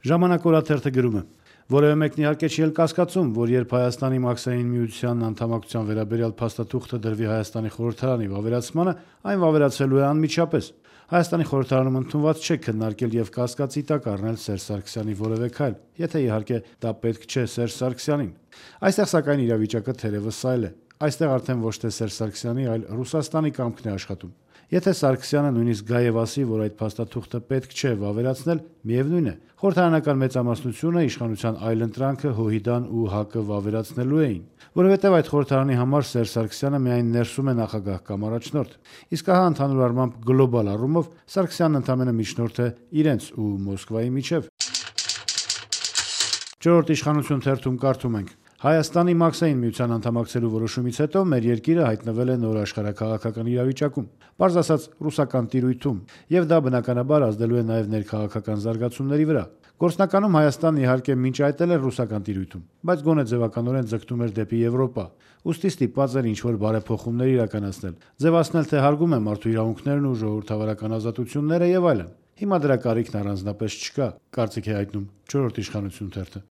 Ժամանակ օրաթերթը գրում է. որևէ մեկն իհարկե չի էլ կասկածում, որ երբ Հայաստանի Մաքսային միության անդամակցության վերաբերյալ փաստաթուղթը դրվի Հայաստանի խորհրդարանի վավերացմանը, այն վավերացվելու է անմիջապես։ Հայաստանի խորհրդարանում ընդունված չէ քննարկել եւ կասկածի տակ առնել Սերժ Սարգսյանի որևէ քայլ, եթե իհարկե դա պետք չէ Սերժ Սարգսյանին։ Այստեղ սակայն իրավիճակը թերևս այլ է։ Այստեղ արդեն ոչ թե Սերժ Սարգսյանի, այլ Ռուսաստանի կամքն է աշխատում։ Եթե Սարգսյանը նույնիսկ գա եւ ասի, որ այդ փաստաթուղթը պետք չէ վավերացնել, միևնույն է, խորհրդարանական մեծամասնությունը իշխանության այլընտրանքը ՀՅԴ-ն ու ՀԱԿ-ը վավերացնելու էին, որովհետեւ այդ խորհրդարանի համար Սերժ Սարգսյանը միայն ներսում է նախագահ կամ առաջնորդ։ Իսկ ահա ընդհանուր առմամբ գլոբալ առումով Սարգսյանն ընդամենը միջնորդ է իրենց ու Մոսկվայի միջև։ Չորրորդ իշխանություն թերթում կարդում ենք. Հայաստանի Մաքսային միության անդամակցելու որոշումից հետո մեր երկիրը հայտնվել է նոր աշխարհաքաղաքական իրավիճակում, պարզ ասած ռուսական տիրույթում, եւ դա բնականաբար ազդելու է նաեւ ներքաղաքական զարգացումների վրա։ Գործնականում Հայաստանն իհարկե մինչ այդ էլ էր ռուսական տիրույթում, բայց գոնե ձևականորեն ձգտում էր դեպի Եվրոպա, ուստի ստիպված էր ինչ-որ բարեփոխումներ իրականացնել, ձևացնել թե հարգում է մարդու իրավունքներն ու ժողովրդավարական ազատությունները եւ այլն։ Հիմա դրա կարիքն առանձնապես չկա, կարծիք է հայտնում չորրորդ իշխանություն թերթը։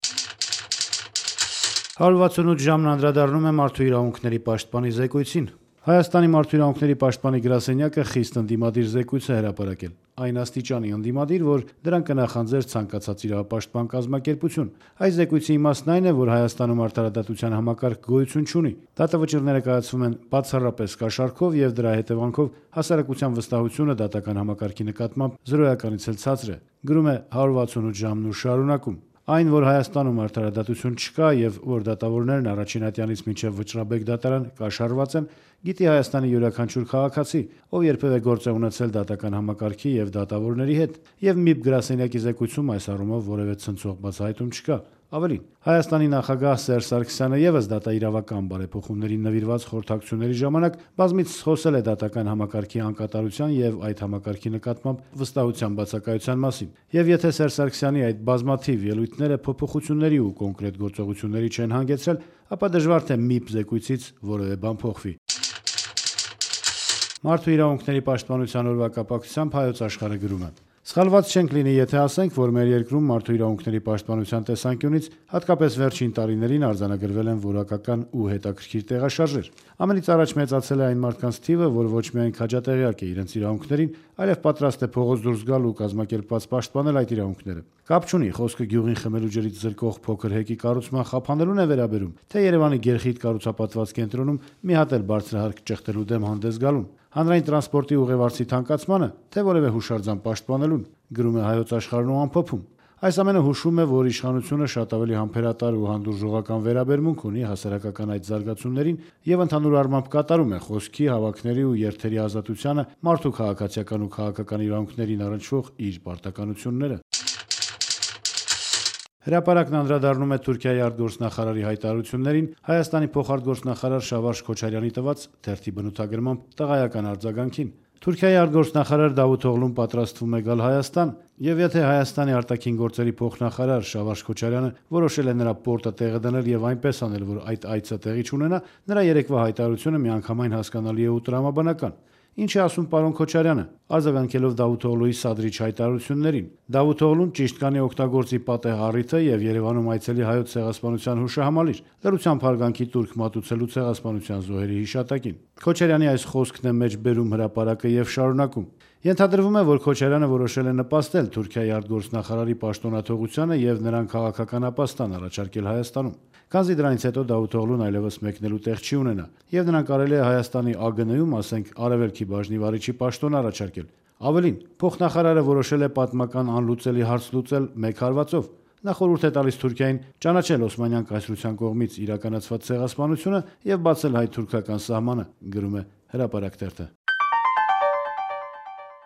168 ժամն անդրադառնում է մարդու իրավունքների պաշտպանի զեկույցին։ Հայաստանի մարդու իրավունքների պաշտպանի գրասենյակը խիստ ընդդիմադիր զեկույց է հրապարակել։ Այն աստիճանի ընդդիմադիր, որ դրան կնախանձեր ցանկացած իրավապաշտպան կազմակերպություն։ Այս զեկույցի իմաստն այն է, որ Հայաստանում արդարադատության համակարգ գոյություն չունի։ Դատավճիռները կայացվում են բացառապես կաշառքով եւ դրա հետևանքով հասարակության վստահությունը դատական համակարգի նկատմամբ զրոյականից էլ ցածր է։ Գրում է 168 ժամն ու շարունակում։ Այն, որ Հայաստանում արդարադատություն չկա եւ որ դատավորներն առաջին ատյանից մինչեւ վճռաբեկ դատարան կաշառված են, գիտի Հայաստանի յուրաքանչյուր քաղաքացի, ով երբևէ գործ է ունեցել դատական համակարգի եւ դատավորների հետ, եւ ՄԻՊ գրասենյակի զեկույցում այս առումով որևէ ցնցող բացահայտում չկա։ Ավելին, Հայաստանի նախագահ Սերժ Սարգսյանը եւս դատաիրավական բարեփոխումներին նվիրված խորհրդակցությունների ժամանակ բազմիցս խոսել է դատական համակարգի անկատարության եւ այդ համակարգի նկատմամբ վստահության բացակայության մասին։ Եվ եթե Սերժ Սարգսյանի այդ բազմաթիվ ելույթները փոփոխությունների ու կոնկրետ գործողությունների չեն հանգեցրել, ապա դժվար թե ՄԻՊ զեկույցից որևէ բան փոխվի։ Մարդու իրավունքների պաշտպանության օրվա կապակցությամբ Հայոց Աշխարհը գրում է. Սխալված չենք լինի, եթե ասենք, որ մեր երկրում մարդու իրավունքների պաշտպանության տեսանկյունից հատկապես վերջին տարիներին արձանագրվել են որակական ու հետաքրքիր տեղաշարժեր։ Ամենից առաջ մեծացել է այն մարդկանց թիվը, որ ոչ միայն քաջատեղյակ է իրենց իրավունքներին, այլև պատրաստ է փողոց դուրս գալ ու կազմակերպված պաշտպանել այդ իրավունքները։ Կապ չունի, խոսքը գյուղին խմելու ջրից զրկող փոքր հեկի կառուցման խափանելուն է վերաբերում, թե Երևանի գերխիտ կառուցապատված կենտրոնում մի հատ էլ բարձրահարկ ճեղտելու դեմ հանդես գալուն, հանրային տրանսպորտի ուղևորցի թանկացմանը, թե որևէ հուշարձան պաշտպանելուն, գրում է Հայոց Աշխարհն ու ամփոփում։ Այս ամենը հուշում է, որ իշխանությունը շատ ավելի համբերատար ու հանդուրժողական վերաբերմունք ունի հասարակական այդ զարգացումներին եւ ընդհանուր առմամբ կատարում է խոսքի, հավաքների ու երթերի ազատությանը, մարդու քաղաքացիական ու քաղաքական իրավունքներին առնչվող իր պարտականությունները։ Հրապարակն անդրադառնում է Թուրքիայի արտգործնախարարի հայտարարություններին Հայաստանի փոխարտգործնախարար Շավարշ Քոչարյանի տված թերթի բնութագրմամբ տղայական արձագանքին։ Թուրքիայի արտգործնախարար Դավութ Օղլուն պատրաստվում է գալ Հայաստան, եւ եթե Հայաստանի արտաքին գործերի փոխնախարար Շավարշ Քոչարյանը որոշել է նրա պորտը տեղը դնել եւ այնպես անել, որ այդ այցը տեղի չունենա, նրա երեկվա հայտարարությունը միանգամայն հասկանալի է ու տրամաբանական։ Ինչ է ասում պարոն Քոչարյանը, արձագանքելով Դավութ Օղլուի սադրիչ հայտարարություններին։ Դավութ Օղլուն ճիշտ կանի օգտագործի պատեհ առիթը եւ Երևանում այցելի հայոց ցեղասպանության հուշահամալիր, լրությամբ հարգանքի տուրք մատուցելու ցեղասպանության զոհերի հիշատակին։ Քոչարյանի այս խոսքն է մեջ բերում հրապարակը եւ շարունակում. Ենթադրվում է, որ Քոչարյանը որոշել է նպաստել Թուրքիայի արտգործնախարարի պաշտոնաթողությանը եւ նրան քաղաքական ապաստան առաջարկել Հայաստանում։ Քանզի դրանից հետո Դավութ Օղլուն այլևս մեկնելու տեղ չի ունենա, եւ նրան կարելի է Հայաստանի ԱԳՆ-ում, ասենք, արևելքի բաժնի վարիչի պաշտոն առաջարկել։ Ավելին, փոխնախարարը որոշել է պատմական անլուծելի հարց լուծել մեկ հարվածով։ Նա խորհուրդ է տալիս Թուրքիային ճանաչել Օսմանյան կայսրության կողմից իրականացված ցեղասպանությունը եւ բացել հայ-թուրքական սահմանը, գրում է Հրապարակ թերթը։